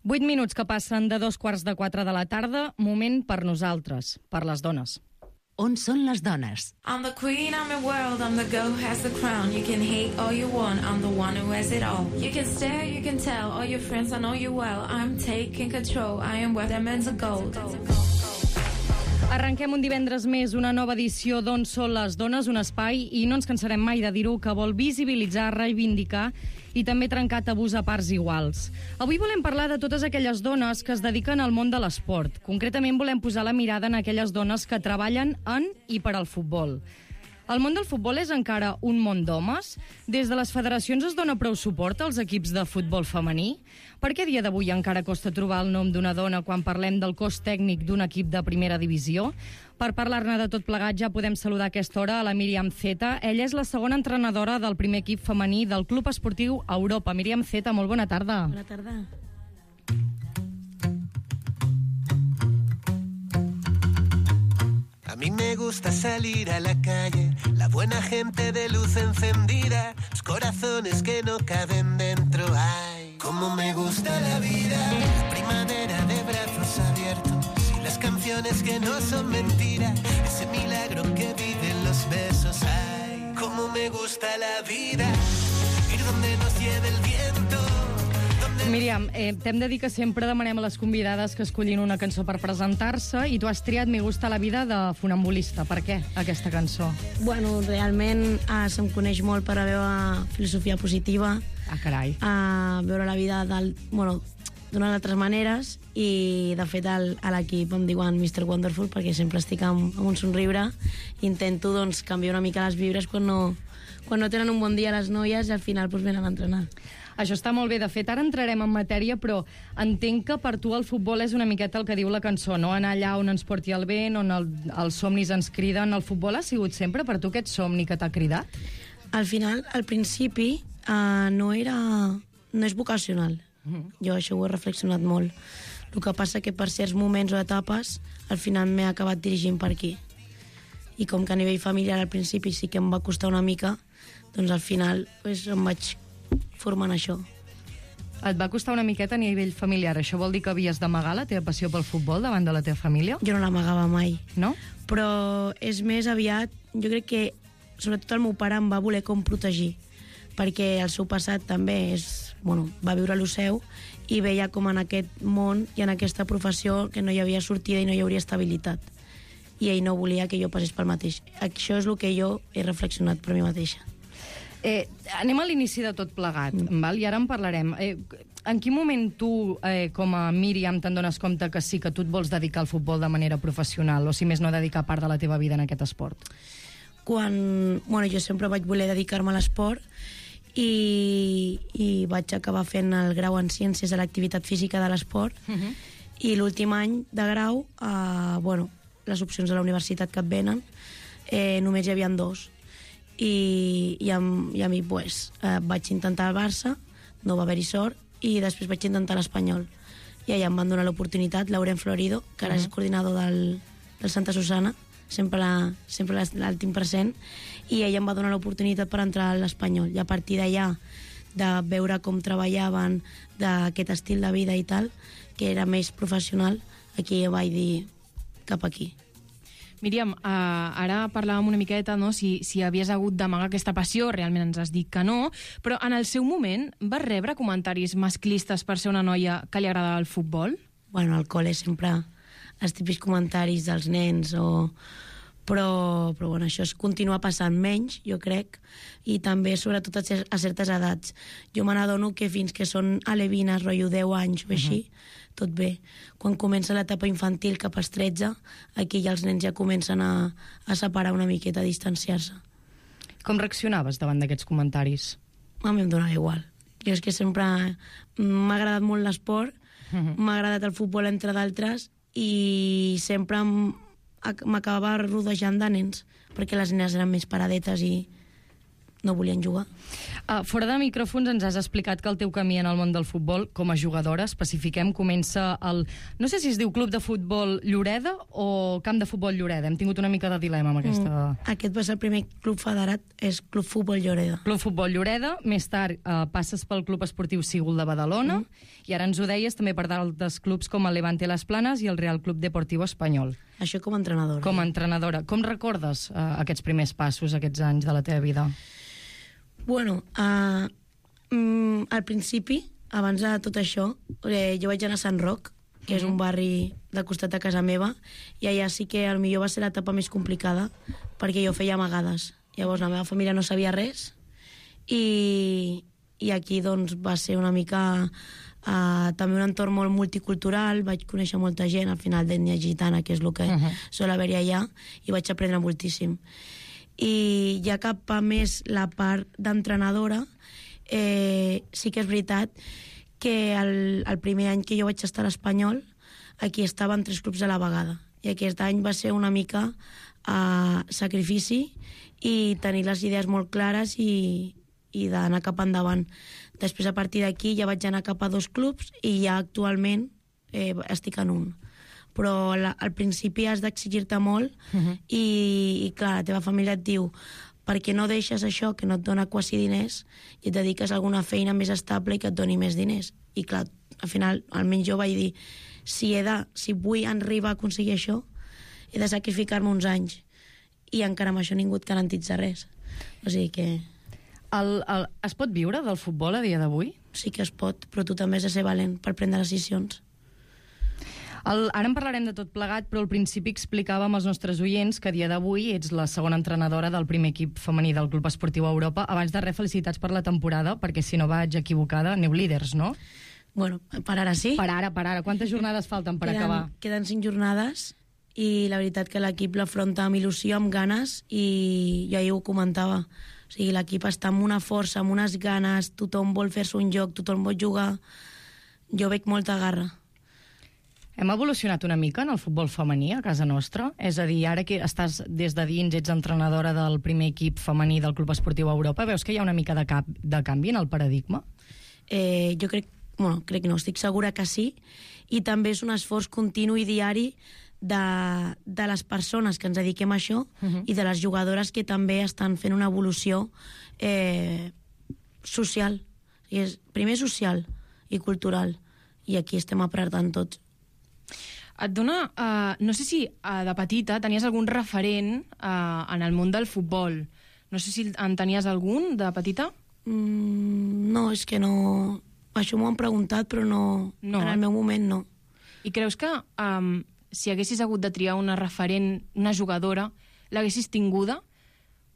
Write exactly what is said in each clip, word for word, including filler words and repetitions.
Vuit minuts que passen de dos quarts de quatre de la tarda, moment per nosaltres, per les dones. On són les dones? I'm the queen, I'm the world, I'm the girl who has the crown. You can hate all you want, I'm the one who has it all. You can stare, you can tell, all your friends, I know you well. I'm taking control, I am worth diamonds of gold. Arrenquem un divendres més una nova edició d'On són les dones, un espai, i no ens cansarem mai de dir-ho, que vol visibilitzar, reivindicar i també trencar tabús a parts iguals. Avui volem parlar de totes aquelles dones que es dediquen al món de l'esport. Concretament volem posar la mirada en aquelles dones que treballen en i per al futbol. El món del futbol és encara un món d'homes? Des de les federacions es dona prou suport als equips de futbol femení? Per què a dia d'avui encara costa trobar el nom d'una dona quan parlem del cos tècnic d'un equip de primera divisió? Per parlar-ne de tot plegat ja podem saludar a aquesta hora a la Míriam Zeta. Ella és la segona entrenadora del primer equip femení del Club Esportiu Europa. Míriam Zeta, molt bona tarda. Bona tarda. A mí me gusta salir a la calle, la buena gente de luz encendida, los corazones que no caben dentro. Ay, cómo me gusta la vida, la primavera de brazos abiertos y las canciones que no son mentira, ese milagro que viven los besos. Ay, cómo me gusta la vida, ir donde nos lleve el viento. Míriam, eh, t'hem de dir que sempre demanem a les convidades que escollin una cançó per presentar-se i tu has triat Me gusta la vida de Funambulista. Per què aquesta cançó? Bueno, realment eh, se'm coneix molt per la meva filosofia positiva, Ah, carai. a veure la vida del, bueno, d'unes altres maneres, i de fet al, a l'equip em diuen mister Wonderful perquè sempre estic amb, amb un somriure. Intento doncs, canviar una mica les vibres quan no, quan no tenen un bon dia les noies i al final doncs, venen a entrenar. Això està molt bé. De fet, ara entrarem en matèria, però entenc que per tu el futbol és una miqueta el que diu la cançó, no? Anar allà on ens porti el vent, on el, els somnis ens criden. El futbol ha sigut sempre per tu aquest somni que t'ha cridat? Al final, al principi, uh, no era... no és vocacional. Mm. Jo això ho he reflexionat molt. El que passa que per certs moments o etapes, al final m'he acabat dirigint per aquí. I com que a nivell familiar al principi sí que em va costar una mica, doncs al final pues, em vaig formant això. Et va costar una miqueta a nivell familiar. Això vol dir que havies d'amagar la teva passió pel futbol davant de la teva família? Jo no l'amagava mai. No? Però és més aviat... Jo crec que, sobretot el meu pare em va voler com protegir, perquè el seu passat també és... Bueno, va viure lo seu i veia com en aquest món i en aquesta professió que no hi havia sortida i no hi hauria estabilitat. I ell no volia que jo passés pel mateix. Això és el que jo he reflexionat per mi mateixa. Eh, anem a l'inici de tot plegat, mm. val? I ara en parlarem. Eh, en quin moment tu, eh, com a Míriam, te'n dones compte que sí que tu et vols dedicar al futbol de manera professional, o si més no dedicar part de la teva vida en aquest esport? Quan... Bueno, jo sempre vaig voler dedicar-me a l'esport i, i vaig acabar fent el grau en Ciències de l'Activitat Física de l'Esport, uh-huh. i l'últim any de grau, eh, bueno, les opcions de la universitat que et venen, eh, només hi havia dos. I, i, amb, i a mi pues, eh, vaig intentar el Barça, no va haver-hi sort, i després vaig intentar l'Espanyol, i allà em van donar l'oportunitat Lauren Florido, que ara uh-huh. és coordinador del, del Santa Susana, sempre, la, sempre l'últim present, i ella em va donar l'oportunitat per entrar a l'Espanyol, i a partir d'allà de veure com treballaven, d'aquest estil de vida i tal, que era més professional, aquí vaig dir cap aquí. Míriam, uh, ara parlàvem una miqueta, no?, si, si havies hagut d'amagar aquesta passió, realment ens has dit que no, però en el seu moment vas rebre comentaris masclistes per ser una noia que li agradava el futbol? Bueno, al col·le sempre els típics comentaris dels nens, o... però, però bueno, això es continua passant menys, jo crec, i també sobretot a, cer a certes edats. Jo me n'adono que fins que són alevines, rotllo deu anys o així, uh-huh. tot bé. Quan comença l'etapa infantil cap als tretze, aquí ja els nens ja comencen a, a separar una miqueta, a distanciar-se. Com reaccionaves davant d'aquests comentaris? A mi em donava igual. Jo és que sempre m'ha agradat molt l'esport, uh-huh. m'ha agradat el futbol entre d'altres, i sempre m'acabava rodejant de nens, perquè les nenes eren més paradetes i no volien jugar. Uh, fora de micròfons ens has explicat que el teu camí en el món del futbol, com a jugadora, especifiquem, comença al... No sé si es diu Club de Futbol Lloreda o Camp de Futbol Lloreda. Hem tingut una mica de dilema amb aquesta... Mm. Aquest va ser el primer club federat, és Club Futbol Lloreda. Club Futbol Lloreda, més tard uh, passes pel Club Esportiu Sígol de Badalona, mm. i ara ens ho deies també per d'altres clubs com el Levante Las Planes i el Real Club Deportiu Espanyol. Això com a entrenadora. Com a entrenadora. Com recordes uh, aquests primers passos, aquests anys de la teva vida? Bueno, uh, mm, al principi, abans de tot això, eh, jo vaig anar a Sant Roc, que és un barri del costat de casa meva, i allà sí que el millor va ser l'etapa més complicada, perquè jo feia amagades. Llavors la meva família no sabia res, i, i aquí doncs va ser una mica uh, també un entorn molt multicultural, vaig conèixer molta gent, al final d'ètnia gitana, que és el que uh -huh. sol haver-hi allà, i vaig aprendre moltíssim. I ja cap a més la part d'entrenadora, eh, sí que és veritat que el, el primer any que jo vaig estar a l'Espanyol, aquí estaven tres clubs a la vegada, i aquest any va ser una mica uh, sacrifici i tenir les idees molt clares i, i d'anar cap endavant. Després, a partir d'aquí, ja vaig anar cap a dos clubs i ja actualment eh, estic en un. Però la, al principi has d'exigir-te molt uh -huh. i, i clar, la teva família et diu per què no deixes això que no et dona quasi diners i et dediques a alguna feina més estable i que et doni més diners. I clar, al final, almenys jo vaig dir si, he de, si vull arribar a aconseguir això, he de sacrificar-me uns anys, i encara amb això ningú et garantitza res. O sigui que... El, el, es pot viure del futbol a dia d'avui? Sí que es pot, però tu també has de ser valent per prendre decisions. El, ara en parlarem de tot plegat, però al principi explicàvem als nostres oients que a dia d'avui ets la segona entrenadora del primer equip femení del Club Esportiu Europa. Abans de res, felicitats per la temporada, perquè si no vaig equivocada, aneu líders, no? Bueno, per ara sí. Per ara, per ara. Quantes jornades falten per queden, acabar? Queden cinc jornades, i la veritat que l'equip l'afronta amb il·lusió, amb ganes, i jo ahir ho comentava. O sigui, l'equip està amb una força, amb unes ganes, tothom vol fer-se un joc, tothom vol jugar. Jo veig molta garra. Hem evolucionat una mica en el futbol femení a casa nostra? És a dir, ara que estàs des de dins, ets entrenadora del primer equip femení del Club Esportiu Europa, veus que hi ha una mica de, cap, de canvi en el paradigma? Eh, jo crec, bueno, crec que no, estic segura que sí, i també és un esforç continu i diari de, de les persones que ens dediquem a això uh -huh. i de les jugadores que també estan fent una evolució eh, social. I és, primer social i cultural, i aquí estem apretant tots. Et dona... Uh, no sé si uh, de petita tenies algun referent uh, en el món del futbol. No sé si en tenies algun de petita? Mm, no, és que no... Això m'ho han preguntat, però no, no. En el meu moment no. I creus que um, si haguessis hagut de triar una referent, una jugadora, l'haguessis tinguda?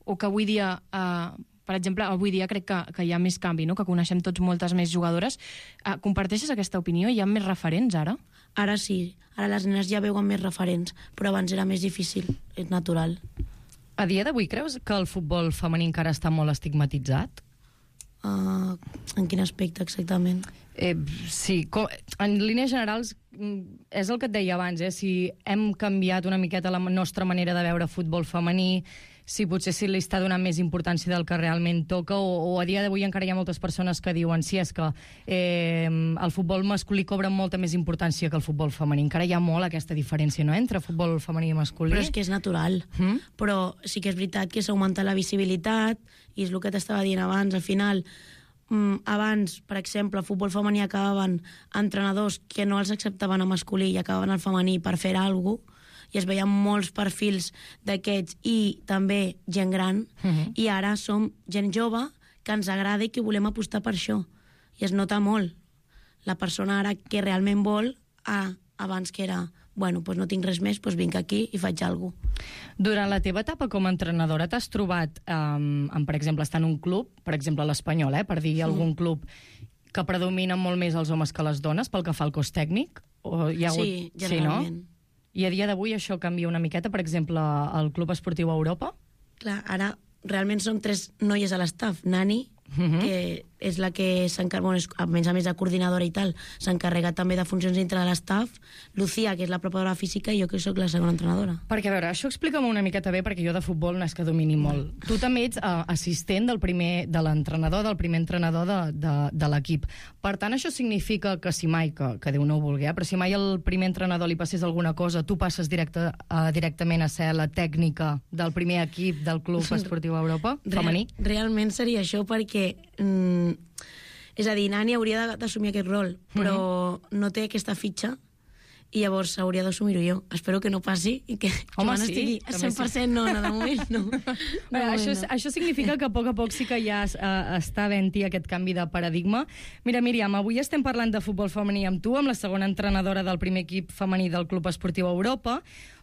O que avui dia... Uh, per exemple, avui dia crec que, que hi ha més canvi, no? Que coneixem tots moltes més jugadores. Uh, comparteixes aquesta opinió? Hi ha més referents ara? Ara sí. Ara les nenes ja veuen més referents, però abans era més difícil, és natural. A dia d'avui creus que el futbol femení encara està molt estigmatitzat? Uh, en quin aspecte exactament? Eh, sí, com, en línies generals és el que et deia abans, eh? Si hem canviat una miqueta la nostra manera de veure futbol femení, si potser sí li està donant més importància del que realment toca, o, o a dia d'avui encara hi ha moltes persones que diuen sí, és que eh, el futbol masculí cobra molta més importància que el futbol femení. Encara hi ha molt aquesta diferència, no?, entre futbol femení i masculí. Però és que és natural. Mm? Però sí que és veritat que s'ha augmentat la visibilitat, i és el que t'estava dient abans, al final... Abans, per exemple, al futbol femení acabaven entrenadors que no els acceptaven a masculí i acabaven al femení per fer alguna cosa, i es veien molts perfils d'aquests i també gent gran, uh-huh. i ara som gent jove que ens agrada i que volem apostar per això. I es nota molt la persona ara que realment vol, a, abans que era, bueno, doncs no tinc res més, doncs vinc aquí i faig alguna cosa. Durant la teva etapa com a entrenadora t'has trobat um, amb, per exemple, estar en un club, per exemple l'Espanyol, eh, per dir sí. algun club que predomina molt més els homes que les dones pel que fa al cos tècnic? O hi ha hagut... Sí, generalment. Sí, no? I a dia d'avui això canvia una miqueta, per exemple, al Club Esportiu Europa? Clar, ara realment som tres noies a l'estaf. Nani, uh-huh. que és la que s'encarrega, bueno, a més a més de coordinadora i tal, s'encarrega també de funcions dintre de l'estaf, Lucía, que és la preparadora física, i jo que sóc la segona entrenadora. Perquè, a veure, això explica-m'ho una miqueta bé, perquè jo de futbol no és que domini molt. Tu també ets uh, assistent del primer, de l'entrenador, del primer entrenador de, de, de l'equip. Per tant, això significa que si mai, que, que Déu no ho vulgui, eh, però si mai el primer entrenador li passés alguna cosa, tu passes directe, uh, directament a ser la tècnica del primer equip del Club Esportiu Europa, femení? Real, realment seria això, perquè... Mm, és a dir, Nani hauria d'assumir aquest rol, però mm-hmm. no té aquesta fitxa, i llavors hauria d'assumir-ho jo. Espero que no passi i que Home, Joan sí, estigui a cent per cent sí. no, no, de moment no. De Bé, moment això, no. això significa que a poc a poc sí que ja uh, està havent-hi aquest canvi de paradigma. Mira, Míriam, avui estem parlant de futbol femení amb tu, amb la segona entrenadora del primer equip femení del Club Esportiu Europa,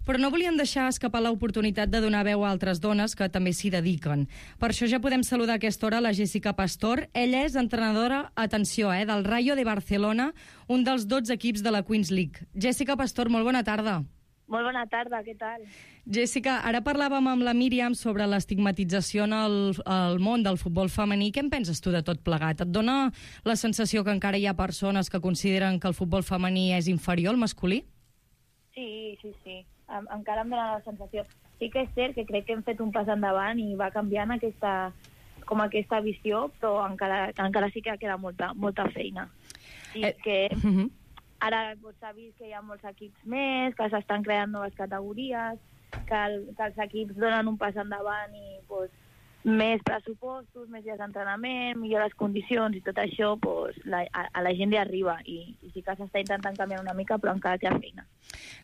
però no volíem deixar escapar l'oportunitat de donar veu a altres dones que també s'hi dediquen. Per això ja podem saludar a aquesta hora la Jessica Pastor. Ella és entrenadora, atenció, eh, del Rayo de Barcelona, un dels dotze equips de la Queens League. Jessica Pastor, molt bona tarda. Molt bona tarda, què tal? Jessica, ara parlàvem amb la Míriam sobre l'estigmatització en el, el món del futbol femení. Què en penses tu de tot plegat? Et dona la sensació que encara hi ha persones que consideren que el futbol femení és inferior al masculí? Sí, sí, sí. Em, encara em dona la sensació. Sí que és cert que crec que hem fet un pas endavant i va canviant aquesta, com aquesta visió, però encara, encara sí que queda molta, molta feina. I Eh, que uh-huh. ara doncs, s'ha vist que hi ha molts equips més, que s'estan creant noves categories, que, el, que els equips donen un pas endavant i doncs, més pressupostos, més dies d'entrenament, millores condicions i tot això doncs, la, a, a la gent li arriba i, i sí que s'està intentant canviar una mica, però encara queda feina.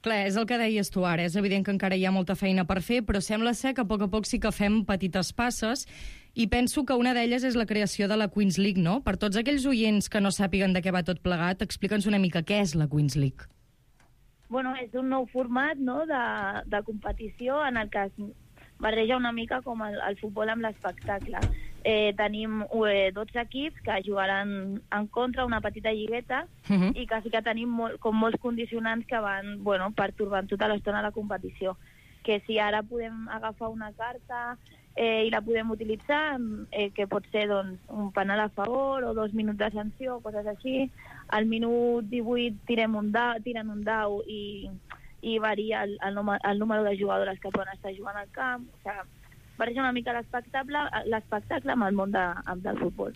Clar, és el que deies tu ara. És evident que encara hi ha molta feina per fer, però sembla ser que a poc a poc sí que fem petites passes i penso que una d'elles és la creació de la Queens League, no? Per tots aquells oients que no sàpiguen de què va tot plegat, explica'ns una mica què és la Queens League. Bueno, és un nou format, no?, de, de competició en el que es barreja una mica com el, el futbol amb l'espectacle. Eh, tenim eh, dotze equips que jugaran en contra una petita lligueta Uh-huh. i que sí que tenim molt, com molts condicionants que van, bueno, pertorbant tota l'estona la competició. Que si ara podem agafar una carta eh, i la podem utilitzar, eh, que pot ser doncs, un penal a favor o dos minuts de sanció, coses així. Al minut divuit tirem un dau, tiren un dau i, i varia el, el, número, el número de jugadores que poden estar jugant al camp. O sigui, barreja una mica l'espectacle l'espectacle amb el món de, del futbol.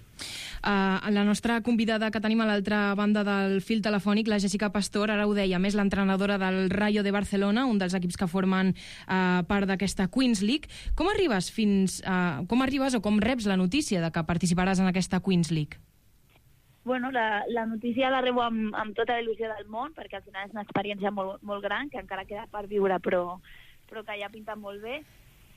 Uh, la nostra convidada que tenim a l'altra banda del fil telefònic, la Jessica Pastor, ara ho deia, més l'entrenadora del Rayo de Barcelona, un dels equips que formen uh, part d'aquesta Queens League. Com arribes fins uh, com arribes o com reps la notícia de que participaràs en aquesta Queens League? Bueno, la, la notícia la rebo amb, amb tota la il·lusió del món, perquè al final és una experiència molt, molt gran, que encara queda per viure, però, però que ja pinta molt bé.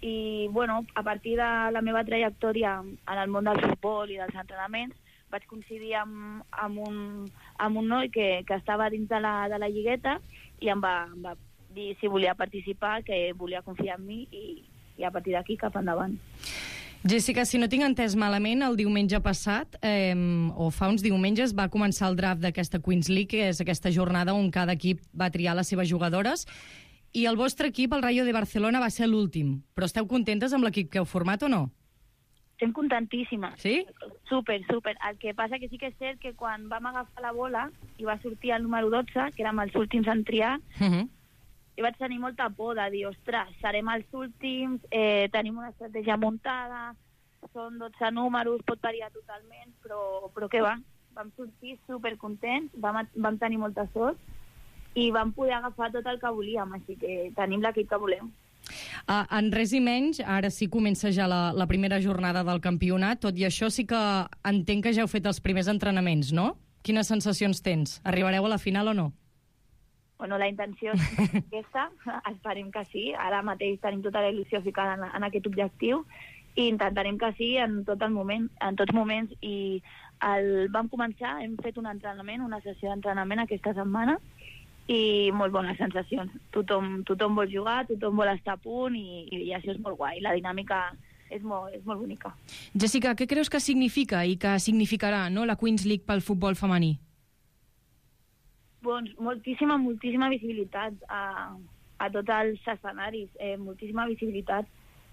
I, bueno, a partir de la meva trajectòria en el món del futbol i dels entrenaments, vaig coincidir amb, amb, un, amb un noi que, que estava dins de la, de la lligueta i em va, em va dir si volia participar, que volia confiar en mi i, i a partir d'aquí cap endavant. Jessica, si no tinc entès malament, el diumenge passat, eh, o fa uns diumenges, va començar el draft d'aquesta Queens League, que és aquesta jornada on cada equip va triar les seves jugadores, i el vostre equip, el Rayo de Barcelona, va ser l'últim. Però esteu contentes amb l'equip que heu format o no? Estem contentíssimes. Sí? Super, super. El que passa que sí que és cert que quan vam agafar la bola i va sortir el número dotze, que érem els últims en triar, Uh-huh. i vaig tenir molta por de dir, ostres, serem els últims, eh, tenim una estratègia muntada, són dotze números, pot variar totalment, però, però què va? Vam sortir supercontents, vam, vam tenir molta sort i vam poder agafar tot el que volíem, així que tenim l'equip que volem. Uh, en res i menys, ara sí comença ja la, la primera jornada del campionat, tot i això sí que entenc que ja heu fet els primers entrenaments, no? Quines sensacions tens? Arribareu a la final o no? Bueno, la intenció és aquesta, esperem que sí. Ara mateix tenim tota la il·lusió ficada en, en aquest objectiu i intentarem que sí en tot el moment, en tots moments. I el, vam començar, hem fet un entrenament, una sessió d'entrenament aquesta setmana i molt bones sensacions. Tothom, tothom vol jugar, tothom vol estar a punt i, i això és molt guai. La dinàmica és molt, és molt bonica. Jessica, què creus que significa i que significarà, no, la Queens League pel futbol femení? Doncs moltíssima, moltíssima visibilitat a, a tots els escenaris, eh, moltíssima visibilitat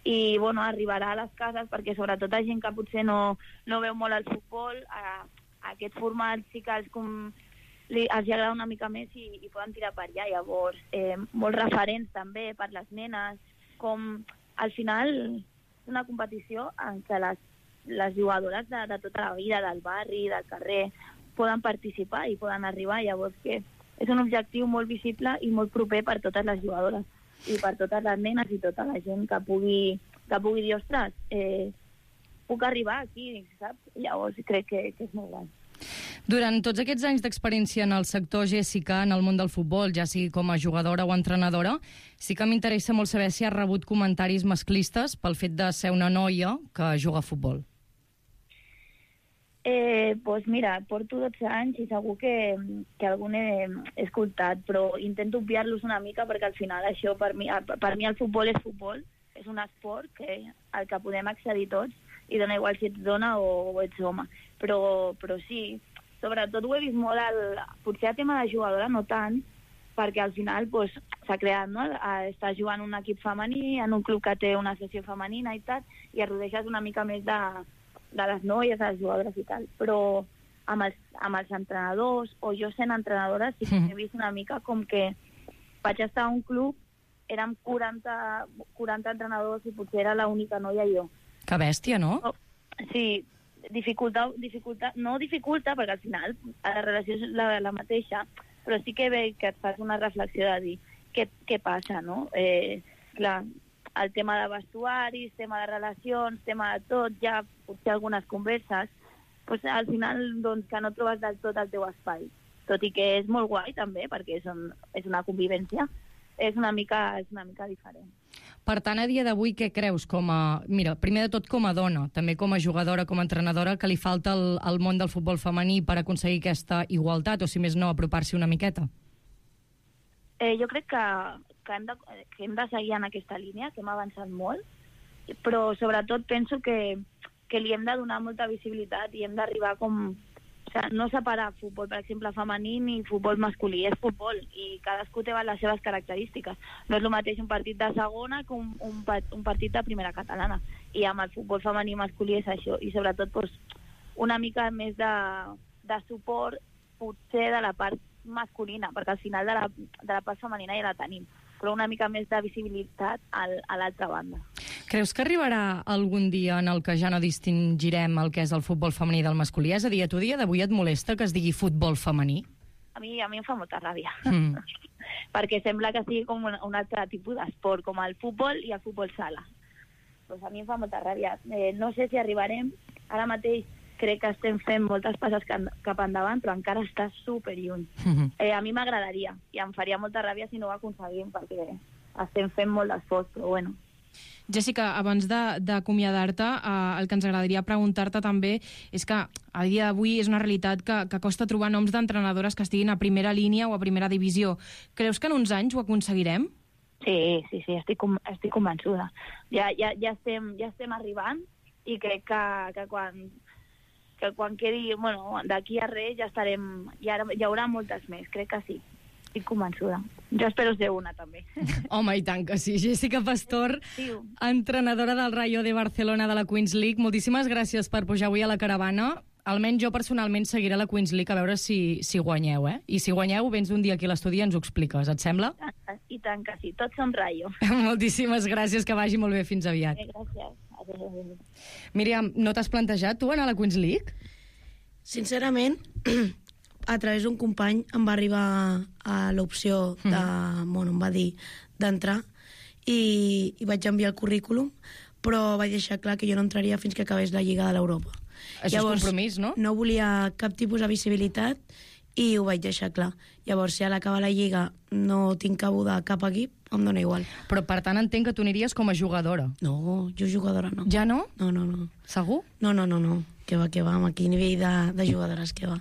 i bueno, arribarà a les cases, perquè sobretot a gent que potser no, no veu molt el futbol, a, a aquests formats sí que els, com, li, els agrada una mica més i, i poden tirar per allà. Llavors, eh, molts referents també per les nenes, com al final és una competició en què les, les jugadores de, de tota la vida, del barri, del carrer, poden participar i poden arribar. Llavors que és un objectiu molt visible i molt proper per totes les jugadores i per totes les nenes i tota la gent que pugui, que pugui dir, ostres, eh, puc arribar aquí, saps? Llavors crec que, que és molt gran. Durant tots aquests anys d'experiència en el sector, Jessica, en el món del futbol, ja sigui com a jugadora o entrenadora, sí que m'interessa molt saber si has rebut comentaris masclistes pel fet de ser una noia que juga a futbol. Eh, pues mira, porto dotze anys i segur que, que algun he, he escoltat, però intento obviar-los una mica perquè al final això, per mi, per mi el futbol és futbol, és un esport que, al que podem accedir tots i dona igual si ets dona o, o ets home. Però, però sí, sobretot ho he vist molt, el, potser a tema de jugadora no tant, perquè al final pues, s'ha creat, no? Estàs jugant un equip femení, en un club que té una sessió femenina i tal, i et rodeixes una mica més de de les noies, de les jugadores i tal, però amb els, amb els entrenadors, o jo sent entrenadora, sí que he vist una mica com que vaig estar a un club, érem quaranta, quaranta entrenadors i potser era l'única noia jo. Que bèstia, no? Oh, sí, dificulta, dificulta, no dificulta, perquè al final la relació és la, la mateixa, però sí que ve que et fas una reflexió de dir què, què passa, no? Eh, clar, el tema de vestuaris, tema de relacions, tema de tot, ja potser algunes converses, doncs al final doncs, que no trobes del tot el teu espai. Tot i que és molt guai també, perquè és, un, és una convivència, és una mica, és una mica diferent. Per tant, a dia d'avui, què creus com a... Mira, primer de tot com a dona, també com a jugadora, com a entrenadora, que li falta al, al món del futbol femení per aconseguir aquesta igualtat, o si més no, apropar-s'hi una miqueta? Eh, jo crec que, que, hem de, que hem de seguir en aquesta línia, que hem avançat molt, però sobretot penso que, que li hem de donar molta visibilitat i hem d'arribar com... O sigui, no separar futbol, per exemple, femení ni futbol masculí, és futbol i cadascú té les seves característiques. No és el mateix un partit de segona que un, un, un partit de primera catalana. I amb el futbol femení i masculí és això. I sobretot doncs, una mica més de, de suport potser de la part masculina, perquè al final de la, de la part femenina ja la tenim, però una mica més de visibilitat al, a l'altra banda. Creus que arribarà algun dia en el que ja no distingirem el que és el futbol femení del masculí? És a dir, a tu dia d'avui et molesta que es digui futbol femení? A mi, a mi em fa molta ràbia, Mm. perquè sembla que sigui com un, un altre tipus d'esport, com el futbol i el futbol sala. Pues a mi em fa molta ràbia. Eh, no sé si arribarem, ara mateix crec que estem fent moltes passes cap endavant, però encara està superlluny. Mm-hmm. Eh, a mi m'agradaria, i em faria molta ràbia si no ho aconseguim, perquè estem fent molt d'esforç, però bueno. Jessica, abans d'acomiadar-te, eh, el que ens agradaria preguntar-te també és que a dia d'avui és una realitat que, que costa trobar noms d'entrenadores que estiguin a primera línia o a primera divisió. Creus que en uns anys ho aconseguirem? Sí, sí, sí, estic, estic convençuda. Ja, ja, ja, estem, ja estem arribant i crec que, que quan... que quan quedi, bueno, d'aquí a res ja estarem, ja hi haurà moltes més, crec que sí, estic convençuda. Jo espero ser una, també. Home, i tant que sí. Jessica Pastor, Sí. entrenadora del Rayo de Barcelona de la Queens League, moltíssimes gràcies per pujar avui a la caravana. Almenys jo personalment seguiré la Queens League a veure si, si guanyeu, eh? I si guanyeu, vens un dia aquí a l'estudi i ens ho expliques, et sembla? I tant que sí, tots som Rayo. Moltíssimes gràcies, que vagi molt bé, fins aviat. Eh, gràcies. Adéu. Míriam, no t'has plantejat tu anar a la Queens League? Sincerament, a través d'un company em va arribar a l'opció de... Bueno, em va dir d'entrar i, i vaig enviar el currículum, però vaig deixar clar que jo no entraria fins que acabés la Lliga de l'Europa. Això és compromís, no? No volia cap tipus de visibilitat i ho vaig deixar clar. Llavors, si a l'acabar la Lliga no tinc cabuda a cap equip, em dóna igual. Però per tant entenc que tu aniries com a jugadora. No, jo jugadora no. Ja no? No, no, no. Segur? No, no, no, no. Que va, que va, amb aquell nivell de, de jugadores que va.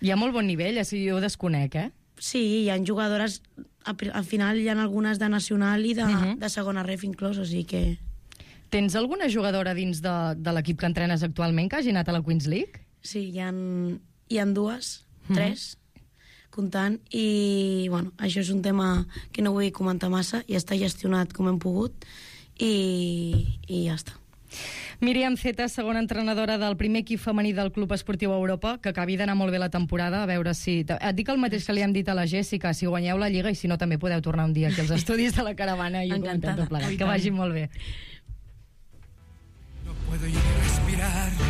Hi ha molt bon nivell, així jo ho desconec, eh? Sí, hi ha jugadores, al final hi ha algunes de nacional i de, Mhm. de segona ref inclòs, o sigui que... Tens alguna jugadora dins de, de l'equip que entrenes actualment que hagi anat a la Queens League? Sí, hi ha, hi ha dues, tres, comptant, i bueno, això és un tema que no vull comentar massa, ja està gestionat com hem pogut, i, i ja està. Míriam Zeta, segona entrenadora del primer equip femení del Club Esportiu Europa, que acabi d'anar molt bé la temporada, a veure si... Et dic el mateix que li hem dit a la Jèssica, si guanyeu la Lliga, i si no també podeu tornar un dia aquí als estudis de la Caravana i comentar tot plegat. Que vagi molt bé. No puedo ya ni respirar.